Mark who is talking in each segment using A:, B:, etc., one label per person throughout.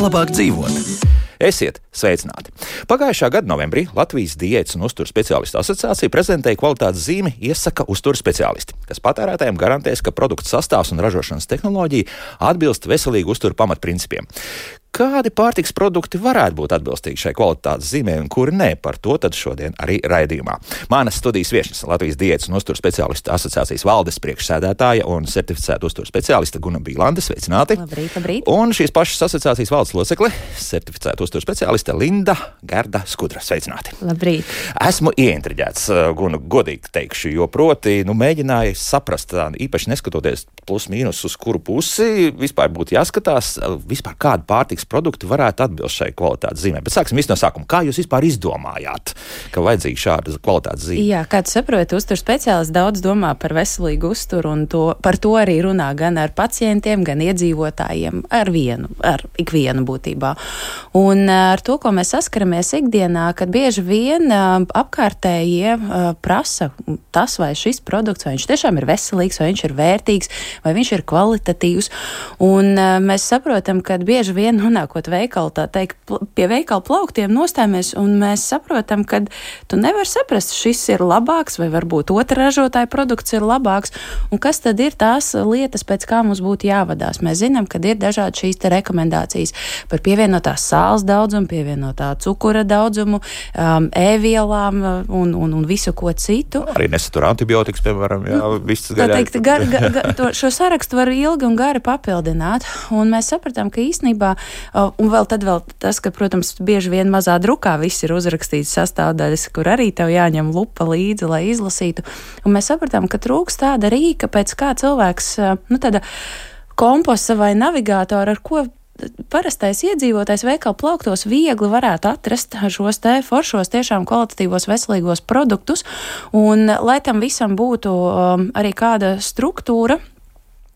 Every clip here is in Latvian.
A: Labāk dzīvot. Esiet sveicināti! Pagājušā gada novembrī Latvijas diētas un uzturu speciālistu asociācija prezentēja kvalitātes zīmi Iesaka uzturu speciālisti, kas patērētājiem garantēs, ka produktu sastāvs un ražošanas tehnoloģija atbilst veselīgu uzturu pamatprincipiem. Kādi pārtiks produkti varētu būt atbilstīgi šai kvalitātes zīmē un kuri nē, par to tad šodien arī raidījumā. Manas studijas viešņas Latvijas diētas un uzturu speciālistu asociācijas valdes priekšsēdētāja un certificēta uzturu speciāliste Guna Bīlande. Sveicināti!
B: Labrīt, labrīt!
A: Un šīs pašas asociācijas valdes locekle, certificēta uzturu speciāliste Linda Gerda Skudra. Sveicināti!
B: Labrīt!
A: Esmu ieintriģēts, Guna, godīgi teikšu, jo proti, mēģināju saprast, īpaši neskatoties plus mīnus uz kuru pusi, vispār būtu jāskatās, vispār kādu pārtiks produkti varētu atbilst šai kvalitātes zīmē. Bet sāksim visu no sākuma. Kā jūs vispār izdomājāt, ka vajadzīga šāda kvalitātes zīme?
B: Jā, kā tu saproti, uzturu speciālists daudz domā par veselīgu uzturu un par to arī runā gan ar pacientiem, gan iedzīvotājiem, ar ikvienu būtībā. Un ar to, ko mēs saskaramies ikdienā, kad bieži vien apkārtējie prasa tas, vai šis produkts, vai viņš tiešām ir veselīgs, vai viņš ir vērtīgs, vai viņš ir kvalitatīvs. Un mēs saprotam, ka bieži vien nonākot veikalu, tā teikt, pie veikala plauktiem nostājamies, un mēs saprotam, ka tu nevari saprast, šis ir labāks, vai varbūt otra ražotāja produkts ir labāks, un kas tad ir tās lietas, pēc kā mums būtu jāvadās. Mēs zinām, ka ir dažādi šīs te rekomendācijas par pievienotās sāls daudzumu, pievienotā cukura daudzumu, ēvielām un visu ko citu.
A: Arī nesatur antibiotikas, piemēram, jā, viss
B: gaļā. Šo sarakstu var ilgi un gari papildināt, un mēs sapratām, ka īstenībā un vēl tas, ka, protams, bieži vien mazā drukā viss ir uzrakstīts sastāvdaļas, kur arī tev jāņem lupa līdzi, lai izlasītu. Un mēs sapratām, ka trūks tāda rīka, pēc kā cilvēks, tāda komposta vai navigātora, ar ko parastais iedzīvotājs veikalu plauktos viegli varētu atrast šos te foršos, tiešām kvalitatīvos, veselīgos produktus. Un, lai tam visam būtu arī kāda struktūra,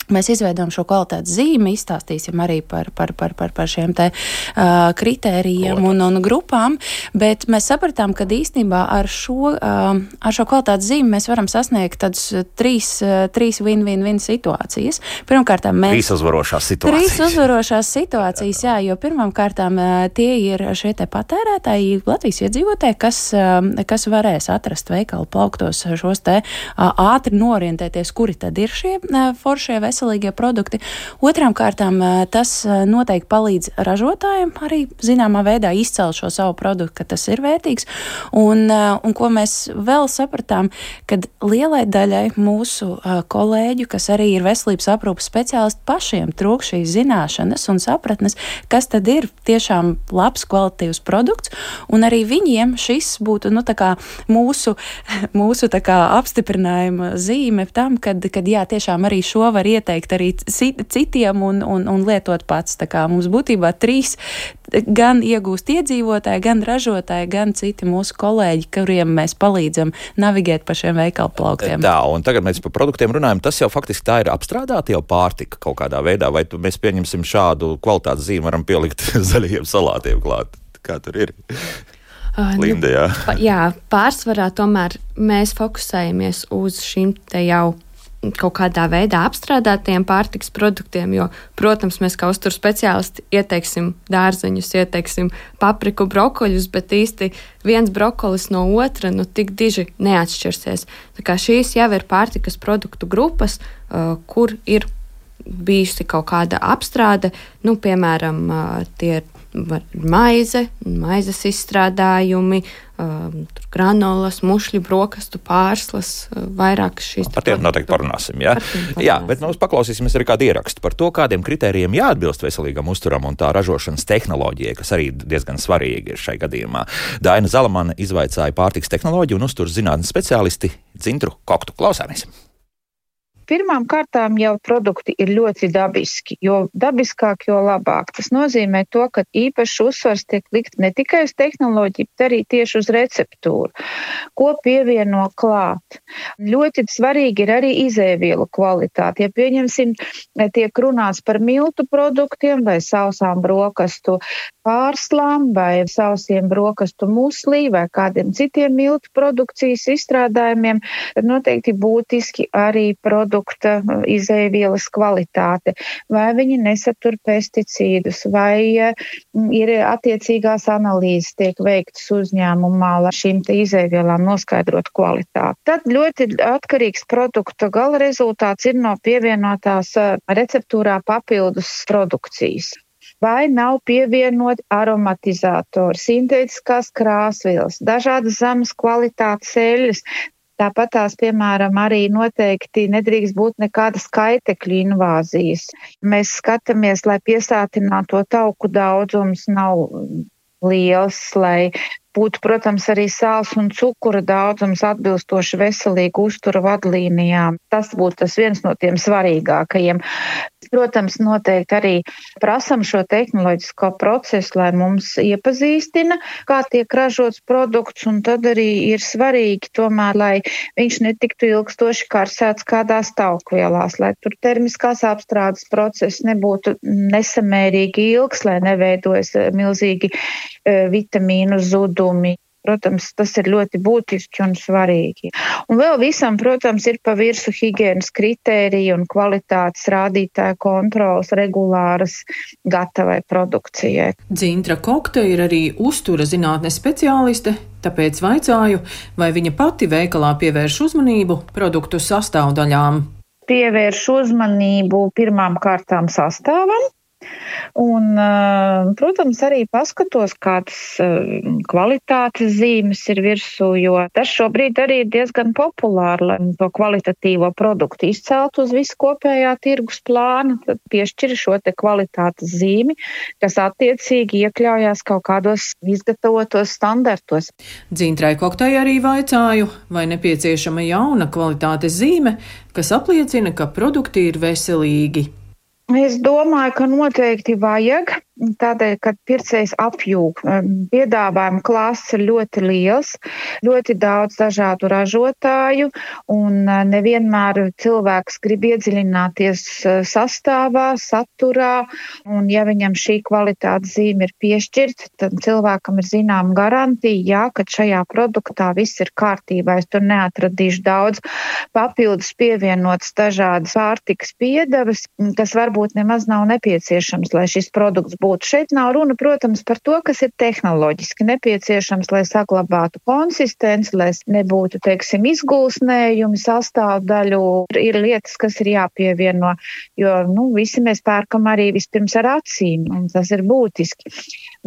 B: mēs izveidojam šo kvalitātes zīmi, izstāstīsim arī par šiem te kritērijiem un grupām, bet mēs sapratām, ka īstenībā ar šo kvalitātes zīmi mēs varam sasniegt tādus trīs win-win-win situācijas. Pirmkārt,
A: Trīs uzvarošās situācijas, jā, jo pirmkārtām tie ir šie te patērētāji, Latvijas iedzīvotāji, kas varēs atrast veikalu plauktos šos te ātri norientēties, kuri tad ir šie foršie veselīgie produkti. Otrām kārtām tas noteikti palīdz ražotājiem arī zināmā veidā izcelt šo savu produktu, ka tas ir vērtīgs. Un ko mēs vēl sapratām, kad lielai daļai mūsu kolēģu, kas arī ir veselības aprūpas speciālisti, pašiem trūk šīs zināšanas un sapratnes, kas tad ir tiešām labs, kvalitatīvs produkts, un arī viņiem šis būtu, tā kā mūsu tā kā apstiprinājuma zīme tam, kad jā, tiešām arī šo var ieteikt arī citiem un lietot pats. Tā kā mums būtībā trīs gan iegūst iedzīvotāji, gan ražotāji, gan citi mūsu kolēģi, kuriem mēs palīdzam navigēt pa šiem veikalu plauktiem. Tā, un tagad mēs par produktiem runājam, tas jau faktiski tā ir apstrādāta jau pārtika kaut kādā veidā, vai mēs pieņemsim šādu kvalitātes zīmi, varam pielikt zaļajiem salātiem klāt? Kā tur ir? Linda, jā.
C: Jā, pārsvarā tomēr mēs fokusējamies uz šīm te jau kaut kādā veidā apstrādātiem pārtiks produktiem, jo, protams, mēs kā uzturu speciālisti ieteiksim dārzeņus, ieteiksim papriku, brokoļus, bet īsti viens brokolis no otra, tik diži neatšķirsies. Tā kā šīs jau ir pārtikas produktu grupas, kur ir bijusi kaut kāda apstrāde, piemēram, tie ir maizes izstrādājumi, granolas, mušļu, brokastu, pārslas, vairāk šīs.
A: Par tiem noteikti parunāsim, jā? Jā, bet mēs paklausīsimies arī kādu ierakstu par to, kādiem kritērijiem jāatbilst veselīgam uzturam un tā ražošanas tehnoloģijai, kas arī diezgan svarīgi ir šai gadījumā. Daina Zalamane izvaicāja pārtiks tehnoloģiju un uzturas zinātnes speciālisti Dzintru Koktu. Klausāmies!
D: Pirmām kārtām jau produkti ir ļoti dabiski, jo dabiskāk, jo labāk. Tas nozīmē to, ka īpaši uzsvars tiek likt ne tikai uz tehnoloģiju, bet arī tieši uz receptūru, ko pievieno klāt. Ļoti svarīgi ir arī izēvielu kvalitāte. Ja pieņemsim, tiek runāts par miltu produktiem vai sausām brokastu pārslām vai sausiem brokastu muslī vai kādiem citiem miltu produkcijas izstrādājumiem, tad noteikti būtiski arī produkta izēvielas kvalitāte. Vai viņi nesatur pesticīdus, vai ir attiecīgās analīzes tiek veiktas uzņēmumā, lai šīm te izēvielām noskaidrot kvalitāti. Tad ļoti atkarīgs produkta gala rezultāts ir no pievienotās receptūrā papildus produkcijas. Vai nav pievienot aromatizātori, sintētiskās krāsvielas, dažādas zemes kvalitātes eļļas. Tāpat tās, piemēram, arī noteikti nedrīkst būt nekādas skaitekļu invāzijas. Mēs skatāmies, lai piesātināto tauku daudzums nav liels, lai būtu, protams, arī sāls un cukura daudzums atbilstoši veselīgu uztura vadlīnijām. Tas būtu tas viens no tiem svarīgākajiem. Protams, noteikti arī prasam šo tehnoloģisko procesu, lai mums iepazīstina, kā tiek ražots produkts, un tad arī ir svarīgi tomēr, lai viņš netiktu ilgstoši karsēts kādās taukvielās, lai tur termiskās apstrādes process nebūtu nesamērīgi ilgs, lai neveidojas milzīgi vitamīnu zudumi. Protams, tas ir ļoti būtiski un svarīgi. Un vēl visam, protams, ir pa virsu higienas kritērija un kvalitātes rādītāja kontrolas regulāras gatavai produkcijai.
E: Dzintra Kokte ir arī uztura zinātnes speciāliste, tāpēc vaicāju, vai viņa pati veikalā pievērš uzmanību produktu sastāvdaļām.
D: Pievērš uzmanību pirmām kārtām sastāvam. Un, protams, arī paskatos, kādas kvalitātes zīmes ir virsū, jo tas šobrīd arī ir diezgan populāri, lai to kvalitatīvo produktu izceltu uz visu kopējā tirgus plānu, tad piešķir šo te kvalitātes zīmi, kas attiecīgi iekļaujās kaut kādos izgatavotos standartos.
E: Dzintrai Koktei arī vaicāju, vai nepieciešama jauna kvalitātes zīme, kas apliecina, ka produkti ir veselīgi.
D: Es domāju, ka noteikti vajag, tādēļ, ka pircējs apjūg. Piedāvājuma klāsts ir ļoti liels, ļoti daudz dažādu ražotāju, un nevienmēr cilvēks grib iedziļināties sastāvā, saturā, un ja viņam šī kvalitātes zīme ir piešķirta, tad cilvēkam ir zinām garantija, jā, ka šajā produktā viss ir kārtībā. Es tur neatradīšu daudz papildus pievienotas dažādas pārtikas piedevas, kas varbūt nemaz nav nepieciešams, lai šis produkts būtu. Šeit nav runa, protams, par to, kas ir tehnoloģiski nepieciešams, lai saglabātu konsistenci, lai nebūtu, teiksim, izgulsnējumi, sastāvdaļu. Ir lietas, kas ir jāpievieno, jo, visi mēs pērkam arī vispirms ar acīm, un tas ir būtiski.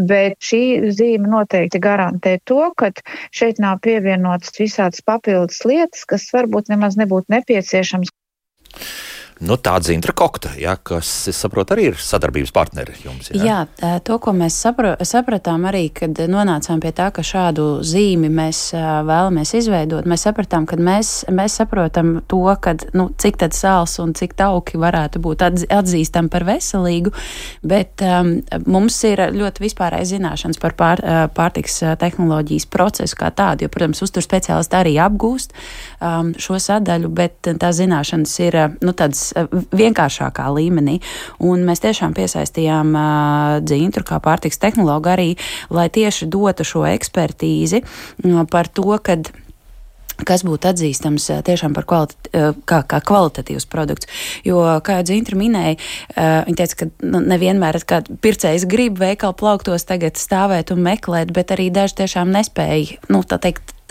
D: Bet šī zīme noteikti garantē to, ka šeit nav pievienotas visādas papildus lietas, kas varbūt nemaz nebūtu nepieciešams.
B: Tā Dzintra Kokte, kas, es saprotu, arī ir sadarbības partneri jums.
A: Jā, to, ko mēs sapratām arī, kad nonācām pie tā, ka šādu zīmi mēs vēlamies izveidot, mēs sapratām, ka mēs saprotam to, ka, cik tad sāls un cik tauki varētu būt atzīstam par veselīgu, bet mums ir ļoti vispārējas zināšanas par pārtiks tehnoloģijas procesu kā tādu, jo, protams, uztur speciālisti arī apgūst šo sadaļu, bet tās zināšanas ir, tādas vienkāršākā līmenī. Un mēs tiešām piesaistījām Dzintru kā pārtiks tehnologu arī, lai tieši dotu šo ekspertīzi par to, kas būtu atzīstams tiešām par kā kvalitatīvs produkts. Jo, kā jau Dzintra minēja, viņa teica, ka nevienmēr pircējs grib veikalu plauktos tagad stāvēt un meklēt, bet arī daži tiešām nespēja,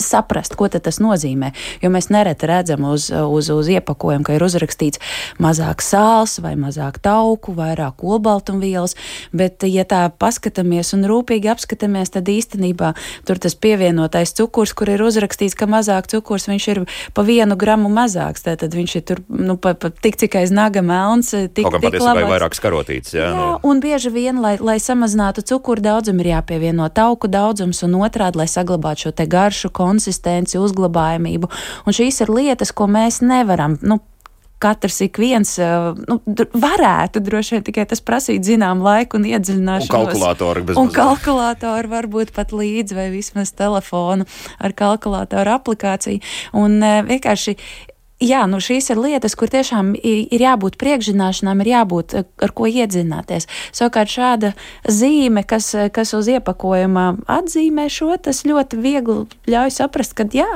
A: saprast, ko tad tas nozīmē, jo mēs nereti redzam uz iepakojumu, ka ir uzrakstīts mazāk sāls vai mazāk tauku, vairāk olbaltumvielas, bet ja tā paskatāmies un rūpīgi apskatāmies, tad īstenībā tur tas pievienotais cukurs, kur ir uzrakstīts, ka mazāk cukurs, viņš ir pa 1 gramu mazāks, tātad viņš ir tur, tik cik aiz naga melns, tik
B: labāks. Vairāk skarotīts, jā.
A: Jā, un bieži vien, lai samazinātu cukuru daudzumu, ir jāpievieno tauku daudzums un otrādi, lai saglabātu šo te garšu, konsistenci, uzglabājamību. Un šīs ir lietas, ko mēs nevaram,
B: katrs ik viens varētu droši vien tikai tas prasīt zinām laiku un iedziļināšanos. Un kalkulātoru varbūt pat līdzi vai vismaz telefonu ar kalkulātoru aplikāciju. Un vienkārši jā, šīs ir lietas, kur tiešām ir jābūt priekšzināšanām, ir jābūt ar ko iedzināties. Savukārt šāda zīme, kas uz iepakojuma atzīmē šo, tas ļoti viegli ļauj saprast, ka jā,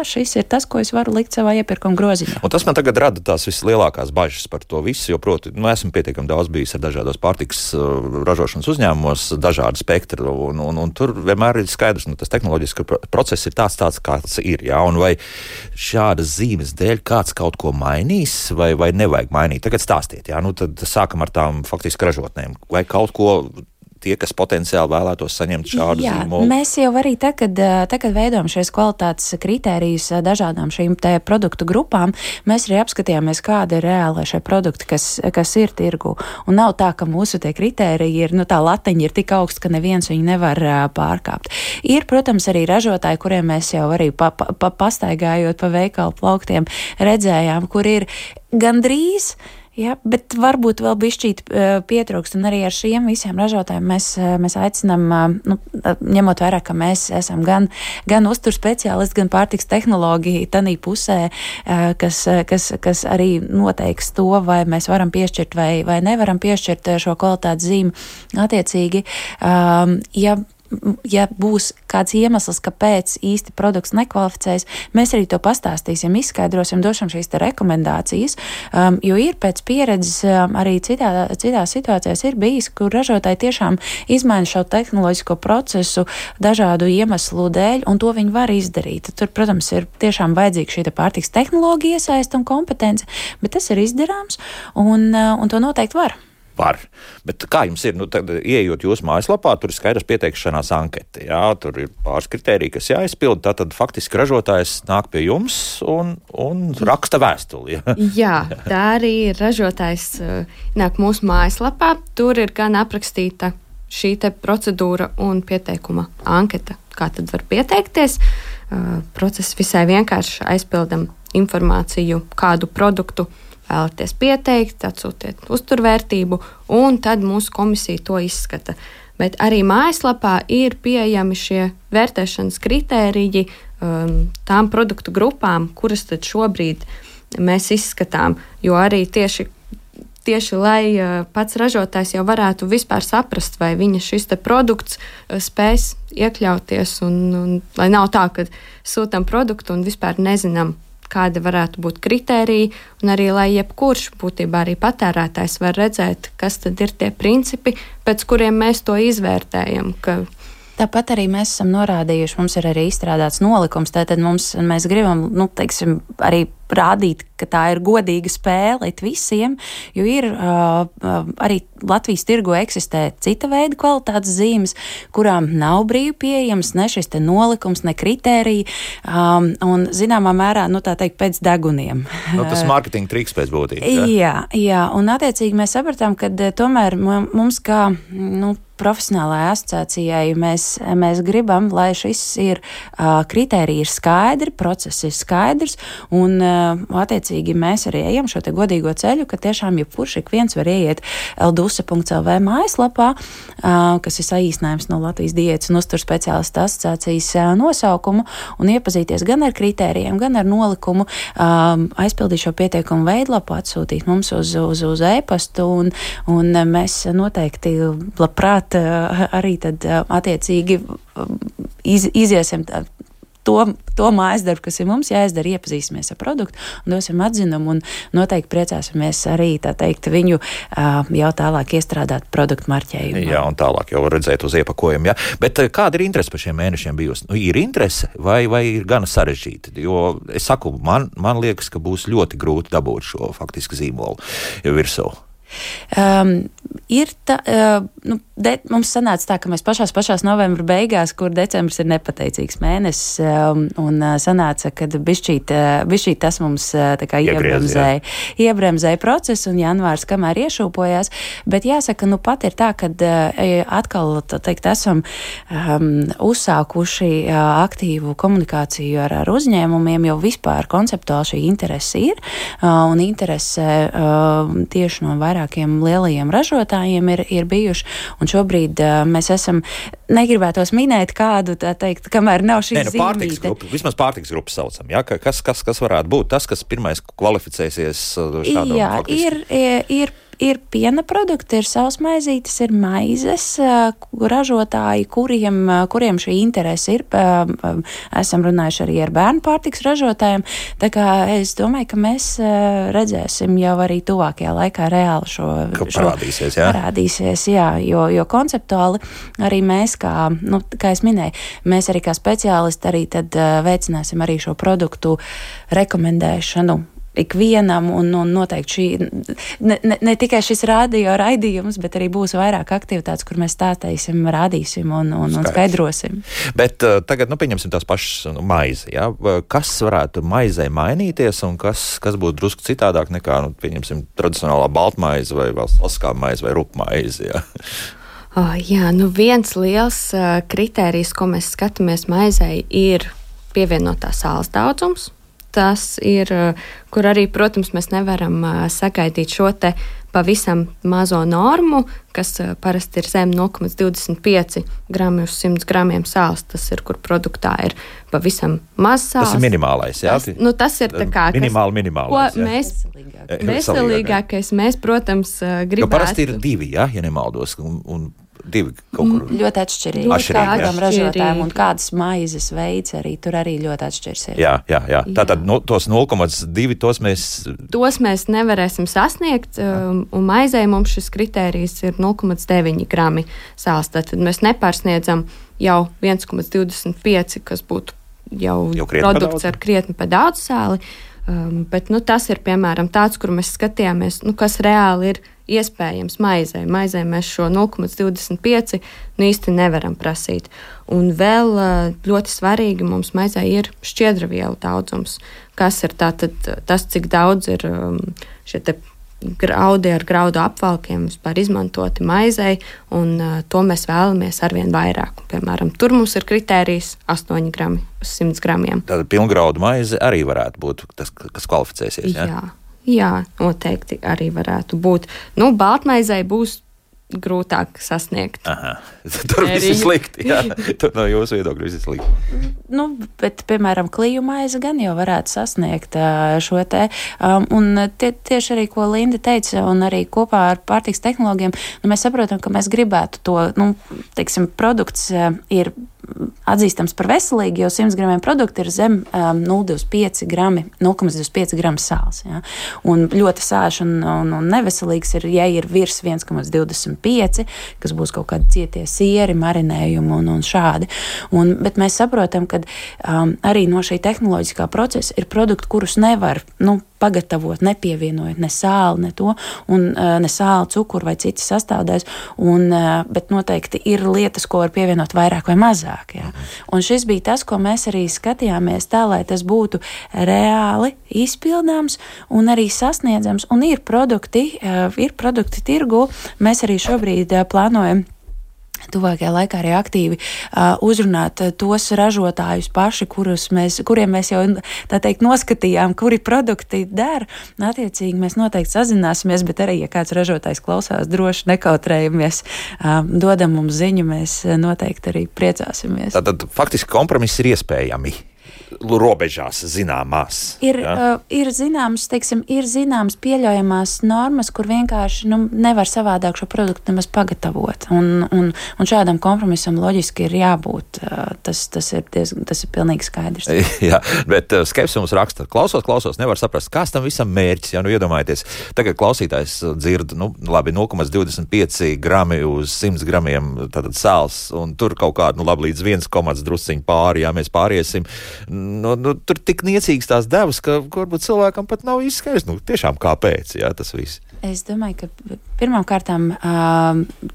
B: šis ir tas, ko es varu likt savā iepirkuma groziņā.
F: Un tas man tagad rada tās vislielākās bažas par to visu, jo, proti, esmu pietiekami daudz bijis ar dažādos pārtikas ražošanas uzņēmumos, dažādi spektri, un tur vienmēr ir skaidrs, tas tehnoloģisks process ir tāds, kāds ir, jā, un vai šādas zīmes dēļ kāds kaut ko mainīs, vai nevajag mainīt? Tagad stāstiet, jā, tad sākam ar tām faktiski ražotnēm. Vai kaut ko tie, kas potenciāli vēlētos saņemt šādu zīmolu?
B: Mēs jau arī tagad veidojam šies kvalitātes kritērijus dažādām šīm te produktu grupām. Mēs arī apskatījāmies, kāda ir reāli šie produkti, kas ir tirgu. Un nav tā, ka mūsu tie kritēriji ir, tā latiņa ir tik augsta, ka neviens viņu nevar pārkāpt. Ir, protams, arī ražotāji, kuriem mēs jau arī pastaigājot pa veikalu plauktiem redzējām, kur ir gandrīz. Jā, bet varbūt vēl bišķīt pietrūkst, un arī ar šiem visiem ražotājiem mēs aicinām, ņemot vērā, ka mēs esam gan uztur speciālisti, gan pārtiks tehnoloģija tanī pusē, kas arī noteiks to, vai mēs varam piešķirt vai nevaram piešķirt šo kvalitātes zīmi attiecīgi. Ja būs kāds iemesls, kāpēc īsti produkts nekvalificējas, mēs arī to pastāstīsim, izskaidrosim, došam šīs te rekomendācijas, jo ir pēc pieredzes arī citās situācijās ir bijis, kur ražotāji tiešām izmaina šo tehnoloģisko procesu dažādu iemeslu dēļ, un to viņi var izdarīt. Tur, protams, ir tiešām vajadzīga šī pārtiks tehnoloģija iesaista un kompetence, bet tas ir izdarāms, un to noteikti var.
F: Bet kā jums ir, tad ieejot jūsu mājaslapā, tur ir skaidrs pieteikšanās anketa, jā, tur ir pāris kritēriji, kas jāizpild, tātad faktiski ražotājs nāk pie jums un raksta vēstuli.
C: Jā, tā arī ir ražotājs nāk mūsu mājaslapā, tur ir gan aprakstīta šī te procedūra un pieteikuma anketa, kā tad var pieteikties. Process visai vienkārši aizpildam informāciju, kādu produktu vēlaties pieteikt, atsūtiet uzturvērtību, un tad mūsu komisija to izskata. Bet arī mājaslapā ir pieejami šie vērtēšanas kritēriji tām produktu grupām, kuras tad šobrīd mēs izskatām, jo arī tieši lai pats ražotājs jau varētu vispār saprast, vai viņa šis te produkts spēs iekļauties, un lai nav tā, ka sūtam produktu un vispār nezinām, kāda varētu būt kritērija, un arī, lai jebkurš būtībā arī patērētājs var redzēt, kas tad ir tie principi, pēc kuriem mēs to izvērtējam.
B: Tāpat arī mēs esam norādījuši, mums ir arī izstrādāts nolikums, tātad mēs gribam, arī rādīt, ka tā ir godīga spēle visiem, jo ir arī Latvijas tirgu eksistē cita veida kvalitātes zīmes, kurām nav brīvi pieejams ne šis te nolikums, ne kritērija, un zināmā mērā, tā teikt, pēc deguniem.
F: Tas mārketinga triks pēc būtības.
B: Jā, un attiecīgi mēs sapratām, ka tomēr mums kā, profesionālajai asociācijai mēs gribam, lai šis ir kritērija ir skaidri, process ir skaidrs, un attiecīgi mēs arī ejam šo te godīgo ceļu, ka tiešām jebkurš ik viens var ieiet lduse.lv mājaslapā, kas ir saīsinājums no Latvijas diētas un uztur speciālistu asociācijas nosaukumu, un iepazīties gan ar kritērijiem, gan ar nolikumu, aizpildīt šo pieteikumu veidlapu, atsūtīt mums uz e-pastu, un mēs noteikti labprāt arī tad attiecīgi iziesim to mājas darbu, kas ir mums jāizdara, iepazīsimies ar produktu un dosim atzinumu, un noteikti priecāsimies arī, tā teikt, viņu jau tālāk iestrādāt produktu marķējumu.
F: Jā, un tālāk jau redzēt uz iepakojumu, jā. Bet kāda ir interese par šiem mēnešiem bijusi? Ir interese vai ir gana sarežģīta? Jo es saku, man liekas, ka būs ļoti grūti dabūt šo faktiski zīmolu virsū.
B: Mums sanāca tā, ka mēs pašās novembra beigās, kur decembris ir nepateicīgs mēnesis, un sanāca, ka bišķīt tas mums tā kā iebremzēja procesu, un janvārs kamēr iešūpojās, bet jāsaka, pat ir tā, kad atkal, esam uzsākuši aktīvu komunikāciju ar uzņēmumiem, jo vispār konceptuāli šī interese ir, un interese tieši no vairākiem lielajiem ražotājiem ir bijuši, un šobrīd mēs esam, negribētos minēt kādu, tā teikt, kamēr nav šī zīmīte.
F: Vismaz pārtiks grupu saucam, ja? Kas varētu būt tas, kas pirmais kvalificēsies šādam?
B: Jā, ir piena produkti, ir sausmaizītes, ir maizes, ražotāji, kuriem šī interese ir. Esam runājuši arī ar bērnu pārtiks ražotājiem, tā kā es domāju, ka mēs redzēsim jau arī tuvākajā laikā reāli šo
F: parādīsies, jā?
B: Parādīsies, jā, jo konceptuāli arī mēs, kā es minēju, mēs arī kā speciālisti arī tad veicināsim arī šo produktu rekomendēšanu ikvienam, un noteikti šī, ne tikai šis radio raidījums, bet arī būs vairāk aktivitātes, kur mēs stāstīsim, rādīsim un skaidrosim.
F: Bet tagad, pieņemsim tās pašas maizi, ja? Kas varētu maizei mainīties, un kas būtu drusku citādāk nekā, pieņemsim, tradicionālā baltmaize vai valstiskā maize vai rupmaize, ja?
C: Jā, viens liels kritērijs, ko mēs skatāmies maizei, ir pievienotā sāls daudzums. Tas ir, kur arī, protams, mēs nevaram sagaidīt šo te pavisam mazo normu, kas parasti ir zem 0,25 grami uz 100 gramiem sāls. Tas ir, kur produktā ir pavisam maz sāls.
F: Tas ir minimālais, jā?
C: Tas ir tā kā...
F: Minimālais,
C: jā. Veselīgākais mēs, protams, gribētu...
F: Jo parasti ir 2, ja nemaldos, un 2 kaut kur.
B: Ļoti atšķirīgi. Kādam ražotājiem un kādas maizes veids arī tur arī ļoti atšķirsies.
F: Jā. Tātad tos 0,2
C: tos mēs nevarēsim sasniegt, un maizei mums šis kritērijs ir 0,9 grami sāls. Tātad mēs nepārsniedzam jau 1,25, kas būtu jau produkts ar krietni pa daudz sāli. Bet tas ir, piemēram, tāds, kur mēs skatījāmies, kas reāli ir iespējams maizei. Maizei mēs šo 0,25 īsti nevaram prasīt. Un vēl ļoti svarīgi mums maizei ir šķiedravielu daudzums, kas ir tātad tas, cik daudz ir šie te graudi ar graudu apvalkiem vispār izmantoti maizei, un to mēs vēlamies arvien vairāk. Piemēram, tur mums ir kritērijs 8 grami uz 100 gramiem.
F: Tātad pilngraudu maize arī varētu būt tas, kas kvalificēsies, ja?
C: Jā, noteikti arī varētu būt. Baltmaizei būs grūtāk sasniegt.
F: Aha. Tur viss ir slikti, jā. Tur no jūsu viedokļa viss ir slikti.
B: Bet, piemēram, kliju maize gan jau varētu sasniegt šo te. Un tieši arī, ko Linda teica, un arī kopā ar pārtiks tehnoloģiem, mēs saprotam, ka mēs gribētu to, produkts ir atzīstams par veselīgu, jo 100 gramiem produkti ir zem 0,25 grami sāls. Ja? Un ļoti sāļš un neveselīgs ir, ja ir virs 1,25, kas būs kaut kādi cietie sieri, marinējumi un šādi. Bet mēs saprotam, ka arī no šī tehnoloģiskā procesa ir produkti, kurus nevar pagatavot, nepievienojot ne sāli, ne to, un ne sāli, cukuru vai citas sastāvdaļas, bet noteikti ir lietas, ko var pievienot vairāk vai mazāk. Ja? Un šis bija tas, ko mēs arī skatījāmies tā, lai tas būtu reāli izpildāms un arī sasniedzams, un ir produkti tirgu. Mēs arī šobrīd plānojam tuvākajā laikā arī aktīvi uzrunāt tos ražotājus paši, kuriem mēs jau, tā teikt, noskatījām, kuri produkti der. Attiecīgi mēs noteikti sazināsimies, bet arī, ja kāds ražotājs klausās, droši nekautrējamies, dodam mums ziņu, mēs noteikti arī priecāsimies.
F: Tātad faktiski kompromiss ir iespējami. Robežās zināmās.
B: Ir zināmas pieļaujamās normas, kur vienkārši nevar savādāk šo produktu nemaz pagatavot. Un šādam kompromisam loģiski ir jābūt. Tas ir pilnīgi skaidrs.
F: Jā, bet Skepsis mums raksta, klausos, nevar saprast, kāds tam visam mērķis. Ja, iedomājieties, tagad klausītājs dzird, 0,25 grami uz 100 gramiem tātad sāls, un tur kaut kādu, līdz 1, drusciņu pāri, ja mēs pāriesim. tur tik niecīgas tās devas, ka varbūt cilvēkam pat nav izskaidrs, tiešām kāpēc, jā, tas viss.
A: Es domāju, ka pirmkārtām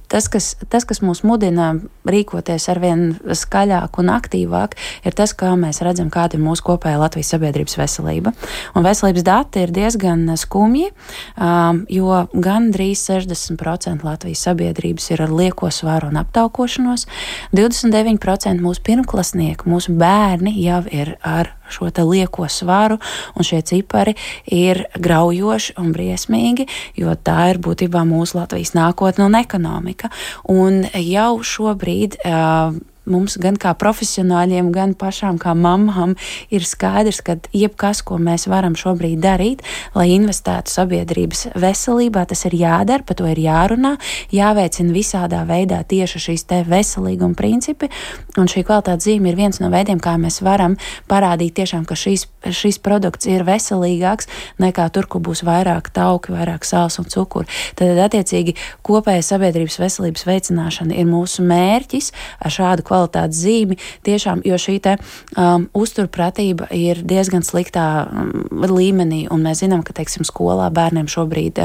A: tas, kas mūs mudina rīkoties arvien skaļāk un aktīvāk, ir tas, kā mēs redzam, kāda ir mūsu kopējā Latvijas sabiedrības veselība. Un veselības dati ir diezgan skumji, jo gandrīz 60% Latvijas sabiedrības ir ar lieko svaru un aptaukošanos, 29% mūsu pirmklasnieku, mūsu bērni jau ir ar šo te lieko svaru, un šie cipari ir graujoši un briesmīgi, jo tā ir būtībā mūsu Latvijas nākotne un ekonomika. Un jau šobrīd mums gan kā profesionāļiem, gan pašām kā mamām ir skaidrs, ka jebkas, ko mēs varam šobrīd darīt, lai investētu sabiedrības veselībā, tas ir jādara, par to ir jārunā, jāveicina visādā veidā tieši šīs te veselīguma principi, un šī kvalitātes zīme ir viens no veidiem, kā mēs varam parādīt tiešām, ka šis produkts ir veselīgāks nekā tur, kur būs vairāk tauki, vairāk sāls un cukuru. Tad, attiecīgi, kopēja sabiedrības veselības veicināšana ir mūsu mērķis ar šādu kvalitātes zīmi, tiešām, jo šī te uzturpratība ir diezgan sliktā līmenī, un mēs zinām, ka, teiksim, skolā bērniem šobrīd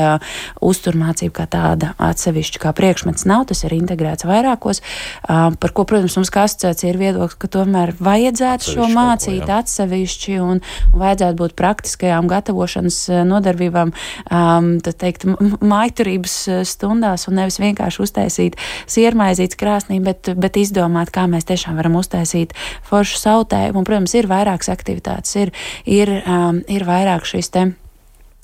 A: uzturmācība kā tāda atsevišķa kā priekšmets nav, tas ir integrēts vairākos, par ko, protams, mums kā asociācija ir viedoklis, ka tomēr vajadzētu šo mācīt atsevišķi un vajadzētu būt praktiskajām gatavošanas nodarbībām, tad teikt, mājturības stundās un nevis vienkārši uztaisīt siermaizītes krāsnī, bet izdomāt, kā mēs tiešām varam uztaisīt foršu sautējumu. Un, protams, ir vairākas aktivitātes, ir vairāk šīs te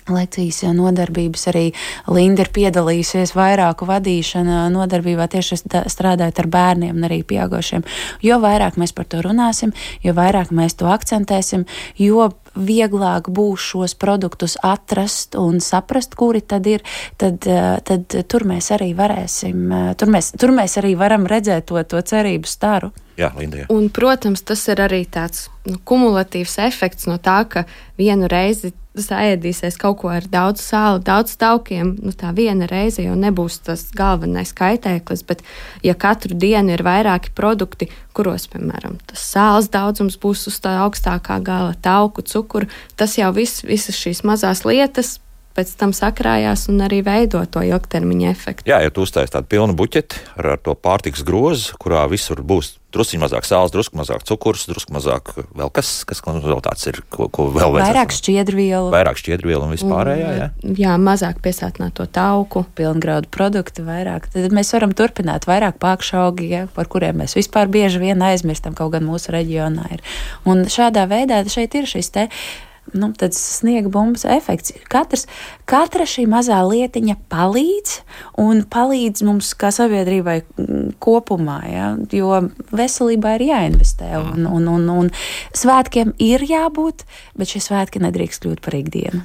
A: lekcijas nodarbības, arī Linda ir piedalījusies vairāku vadīšana nodarbībā tieši strādājot ar bērniem un arī pieaugušiem. Jo vairāk mēs par to runāsim, jo vairāk mēs to akcentēsim, jo vieglāk būs šos produktus atrast un saprast, kuri tad ir, tad tur mēs arī varēsim, tur mēs arī varam redzēt to cerību staru.
F: Jā, Linda, jā.
C: Un, protams, tas ir arī tāds kumulatīvs efekts no tā, ka vienu reizi saēdīsies kaut ko ar daudz sāli, daudz taukiem, tā viena reize jau nebūs tas galvenais kaitēklis, bet ja katru dienu ir vairāki produkti, kuros, piemēram, tas sāls daudzums būs uz tā augstākā gala, tauku, cukuru, tas jau visas šīs mazās lietas pēc tam sakrājās un arī veido to ilgtermiņa efektu.
F: Jā, ja tu uztais tādu pilnu buķeti ar to pārtikas grozu, kurā visur būs drusciņ mazāk sāls, drusku mazāk cukurs, drusku mazāk vēl kas vēl tāds ir, ko vēl vajadzētu. Vairāk šķiedrvielu un vispārējā, jā? Jā,
C: mazāk piesātināto tauku.
A: Pilngraudu produktu vairāk. Tad mēs varam turpināt vairāk pākšaugi, ja, par kuriem mēs vispār bieži vien aizmirstam, kaut gan mūsu reģionā ir. Un šādā veidā šeit ir šis te tāds sniega bumbas efekts. Katra šī mazā lietiņa palīdz mums kā sabiedrībai kopumā, ja? Jo veselībā ir jāinvestē un svētkiem ir jābūt, bet šie svētki nedrīkst kļūt par ikdienu.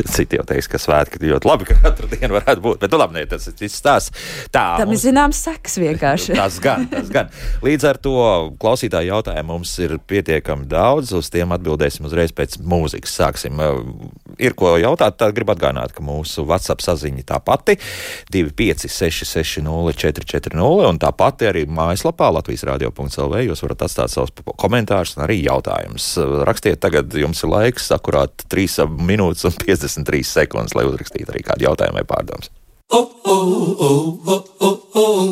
F: Citi jau teiks, ka svētki ļoti labi, ka katru dienu varētu būt, bet labi, tas ir stāsts.
A: Tam ir zināms sekas vienkārši.
F: Tas gan. Līdz ar to klausītāju jautājumu mums ir pietiekami daudz, uz tiem atbildēsim uzreiz pēc mūzikas. Sāksim. Ir ko jautāt, tad gribu atgādināt, ka mūsu WhatsApp saziņa tā pati 256604440 un tā pati arī mājaslapā latvijasradio.lv jūs varat atstāt savus komentārus un arī jautājumus. Rakstiet, tagad jums ir laiks akurāt 3 minūtes un 53 sekundes, lai uzrakstītu arī kādu jautājumu vai pārdomas.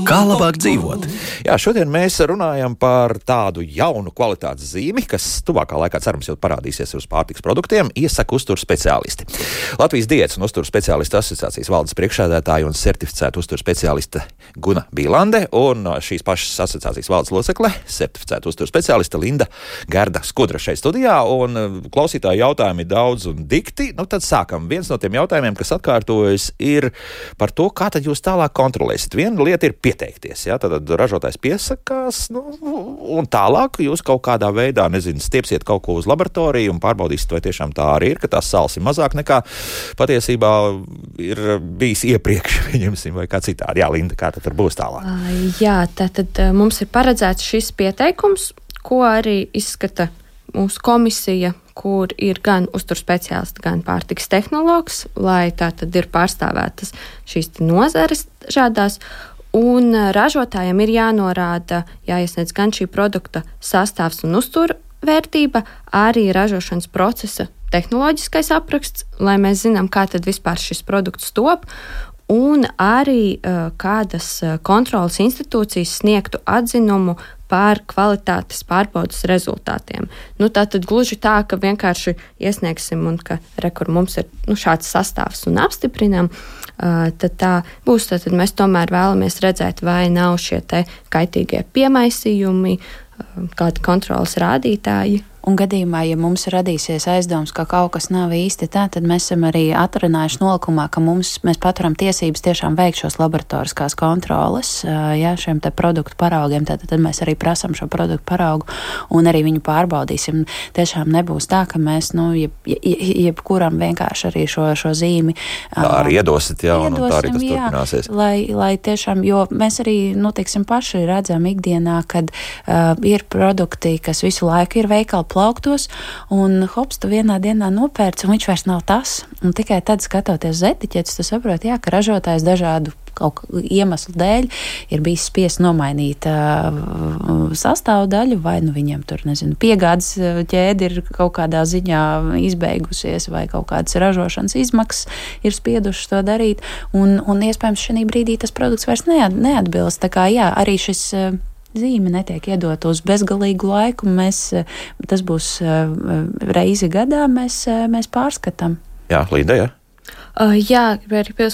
F: Kā labāk dzīvot? Jā, šodien mēs runājam par tādu jaunu kvalitātes zīmi, kas tuvākā laikā, cerams, jau parādīsies uz pārtikas produktiem, iesaka uzturs speciālisti. Latvijas diētas un uzturs speciālistu asociācijas valdes priekšsēdētāja un certificēta uzturs speciāliste Guna Bīlande un šīs pašas asociācijas valdes locekle, certificēta uzturs speciāliste Linda Gerda Skudra šeit studijā, un klausītāju jautājumi daudz un dikti. Tad sākam. Viens no tiem jautājumiem, kas atkārtojas, ir par to, kā tad jūs tālāk kontrolēsiet. Viena lieta ir pieteikties, ja? Tad ražotājs piesakās, un tālāk jūs kaut kādā veidā, stiepsiet kaut ko uz laboratoriju un pārbaudīsiet, vai tiešām tā arī ir, ka tās sāls ir mazāk nekā patiesībā ir bijis iepriekš, viņamsim, vai kā citādi. Jā, Linda, kā tad būs tālāk?
C: Jā, tātad mums ir paredzēts šis pieteikums, ko arī izskata mūsu komisija, kur ir gan uzturs speciālisti, gan pārtikas tehnologs, lai tā tad ir pārstāvētas šīs nozares šādās, un ražotājiem ir jānorāda, jāiesniedz gan šī produkta sastāvs un uztura vērtība, arī ražošanas procesa tehnoloģiskais apraksts, lai mēs zinām, kā tad vispār šis produkts top, un arī kādas kontrolas institūcijas sniegtu atzinumu par kvalitātes pārbaudas rezultātiem. Tātad gluži tā, ka vienkārši iesniegsim un ka rekur mums ir šāds sastāvs un apstiprinām, tad tā būs. Tad mēs tomēr vēlamies redzēt, vai nav šie te kaitīgie piemaisījumi, kādi kontrolas rādītāji.
B: Un gadījumā, ja mums radīsies aizdoms, ka kaut kas nav īsti tā, tad mēs esam arī atrunājuši nolikumā, ka mēs paturam tiesības tiešām veikt šos laboratoriskās kontroles, šiem te produktu paraugiem, tad mēs arī prasam šo produktu paraugu un arī viņu pārbaudīsim. Tiešām nebūs tā, ka mēs, jebkuram vienkārši arī šo zīmi.
F: Tā arī iedosit, un tā arī tas turpināsies.
B: Lai tiešām, jo mēs arī, paši redzam ikdienā, kad ir produkti, kas visu laiku ir veikali plauktos, un hops, tu vienā dienā nopērci, un viņš vairs nav tas. Un tikai tad, skatoties uz etiķetes, tu saproti, ka ražotājs dažādu kaut iemeslu dēļ ir bijis spiests nomainīt sastāvdaļu, vai viņiem tur, piegādes ķēde ir kaut kādā ziņā izbeigusies, vai kaut kādas ražošanas izmaksas ir spiedušas to darīt, un iespējams šī brīdī tas produkts vairs neatbilst. Tā kā, arī šis zīme netiek iedota uz bezgalīgu laiku, tas būs reizi gadā, mēs pārskatām.
F: Jā, Līda, jā?
C: Jā,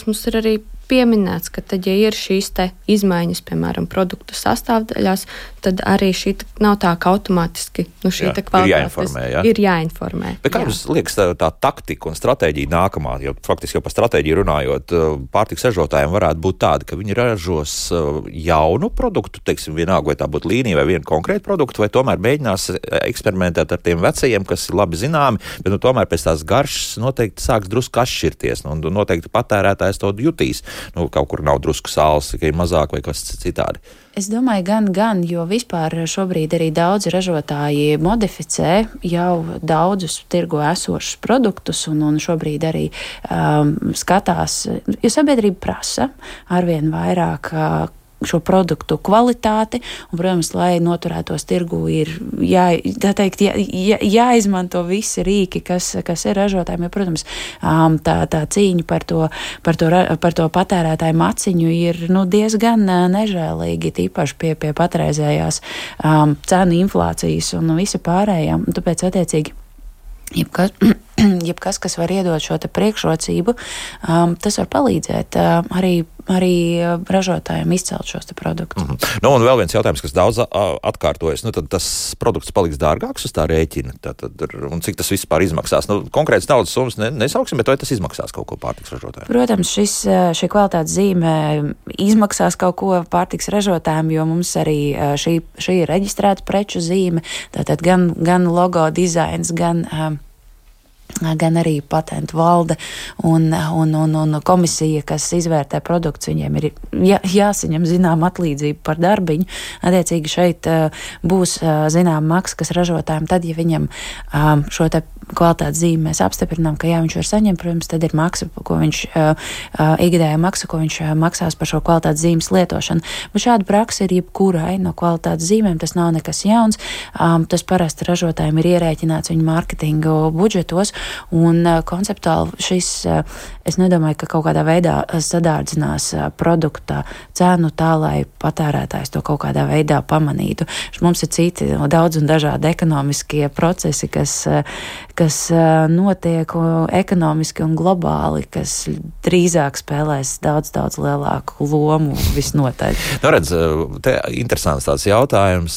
C: mums ir arī pieminēts, ka tad, ja ir šīs te izmaiņas, piemēram, produktu sastāvdaļās, tad arī šī nav tā, ka automātiski šī te kvalitātes ir jāinformē.
F: Bet kā jums liekas tā taktika un stratēģija nākamā, jo faktiski jau par stratēģiju runājot, pārtikas ražotājiem varētu būt tāda, ka viņi ražos jaunu produktu, teiksim, vienalga, vai tā būtu līnija vai viena konkrēta produkta, vai tomēr mēģinās eksperimentēt ar tiem vecajiem, kas ir labi zināmi, bet tomēr pēc tās garšas noteikti sāks drusku atšķirties, un noteikti patērētājs to jutīs. Kaut kur nav drusku sāls, tikai mazāk vai kas citādi.
B: Es domāju, gan, jo vispār šobrīd arī daudzi ražotāji modificē jau daudzus tirgo esošus produktus un šobrīd arī skatās, jo sabiedrība prasa arvien vairāk šo produktu kvalitāti, un, protams, lai noturētos tirgu, ir jāizmanto visi rīki, kas ir ražotājiem, jo, protams, tā cīņa par to patērētāju maciņu ir diezgan nežēlīgi, tīpaši pie patreizējās cenu inflācijas un visa pārējām, un tāpēc, attiecīgi, jebkas, kas var iedot šo te priekšrocību, tas var palīdzēt arī ražotājiem izcelt šos te produktus.
F: Un vēl viens jautājums, kas daudz atkārtojas, tad tas produkts paliks dārgāks uz tā rēķina, un cik tas vispār izmaksās? Konkrēts naudas summas nesauksim, bet vai tas izmaksās kaut ko pārtiks ražotājiem?
B: Protams, šī kvalitātes zīme izmaksās kaut ko pārtiks ražotājiem, jo mums arī šī ir reģistrēta preču zīme, tātad gan logo dizains, gan arī patentu valde un komisija, kas izvērtē produktus, viņiem ir jāsaņem zinām atlīdzību par darbiņu. Attiecīgi šeit būs zinām maksa, kas ražotājiem tad, ja viņam šo te kvalitātes zīmi mēs apstiprinām, ka viņš var saņemt, protams, tad ir maksa, ko viņš ikgadējā maksa, ko viņš maksās par šo kvalitātes zīmes lietošanu. Bet šāda praksa ir jebkurai no kvalitātes zīmēm, tas nav nekas jauns. Tas parasti ražotājiem ir ierēķināts viņu mārketingu budžetos, un konceptuāli šis, es nedomāju, ka kaut kādā veidā sadārdzinās produkta cenu tā, lai patērētājs to kaut kādā veidā pamanītu. Mums ir citi daudz un dažādi ekonomiskie procesi, kas notiek ekonomiski un globāli, kas drīzāk spēlēs daudz lielāku lomu visnotaļ.
F: Redz, te interesants tāds jautājums